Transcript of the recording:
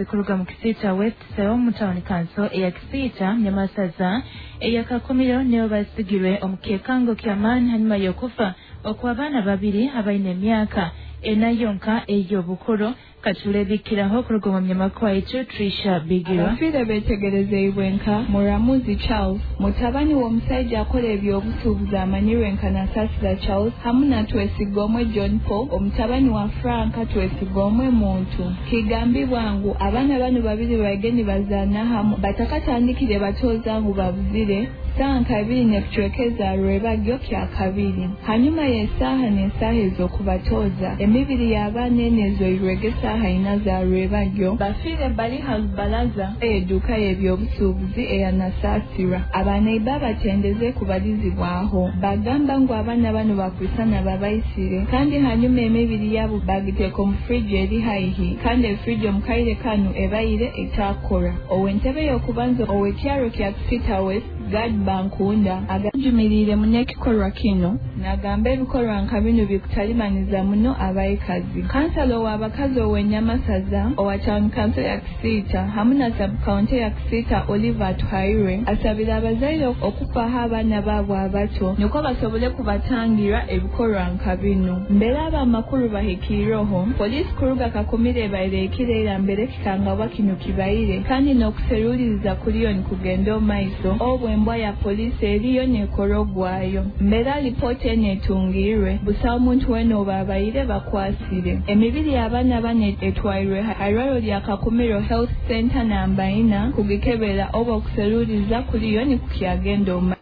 Kuruga mu Kisiita West Cell mu Town Council eya Kisiita, Nyamasaza eya Kakumiro, nibo basigirwe omu kyekango ky'amaani hanyuma y'okufa okw'abaana babiri abaine emyaka 4 yonka ey'obukuru. Katulebikiraho kuruga omu munyamakuru waitu Trisha Bigirwa. Abafiire betegerezeibwe nka Muramuzi Charles, mutabani w'omusaija akora eby'obusuubuzi amanyirwe nka Nasasira Charles, hamu na Twesigomwe John Paul, omutabani wa Frank Twesigomwe Muntu. Kigambibwa ngu abaana banu babiri baige nibazaana hamu batakatandikire batooza ngu babuzire saaha nka ibiri n'ebicweka eza rwebagyo kya kabiri. Hanyuma y'esaaha n'esaaha ez'okubatooza, emibiri y'abaana enu ezoirwege esaaha 4 za rwebagyo, bafiire bali ha rubaraza y'eduuka y'ebyobusuubuzi eya Nasasira. Abanaiba abatendeze kubalizibwaho bagamba ngu abaana banu bakwisana babaisire, kandi hanyuma emibiri yabo bagiteeka omu fridge eri haihi, kandi efridge omu kaire kanu ebaire etakora. Ow'entebe y'okubanza ow'ekyaro kya Kisiita West, Gad Bankunda, agajumiriire muno ekikorwa kinu, nagamba ebikorwa nka binu bikutalimaniza muno abaikazi. Kansala ow'abakazi ow'Enyamasaza owa Town Council ya Kisiita hamu na sub-county ya Kisiita, Oliver Atuhairwe, asabire abazaire okufaho abaana baabo abato nukwo basobole kubatangira ebikorwa nka binu. Mbere abamakuru bahikiireho, poliisi kuruga Kakumiro ebaire ekireera mbere ekikangabwa kinu kibaire, kandi n'okuseruliiriza kuriyo nikugenda omu maiso obu embwa ya poliisi eriyo neekora ogwayo. Mbere alipoota enu etungiirwe, busaho omuntu weena obu abaire bakwasire. Emibiri y'abaana banu etwairwe ha irwariro lya Kakumiro Health Center namba 4 kugikebera obu okuseruliiriza kuriyo nikukyagenda omu.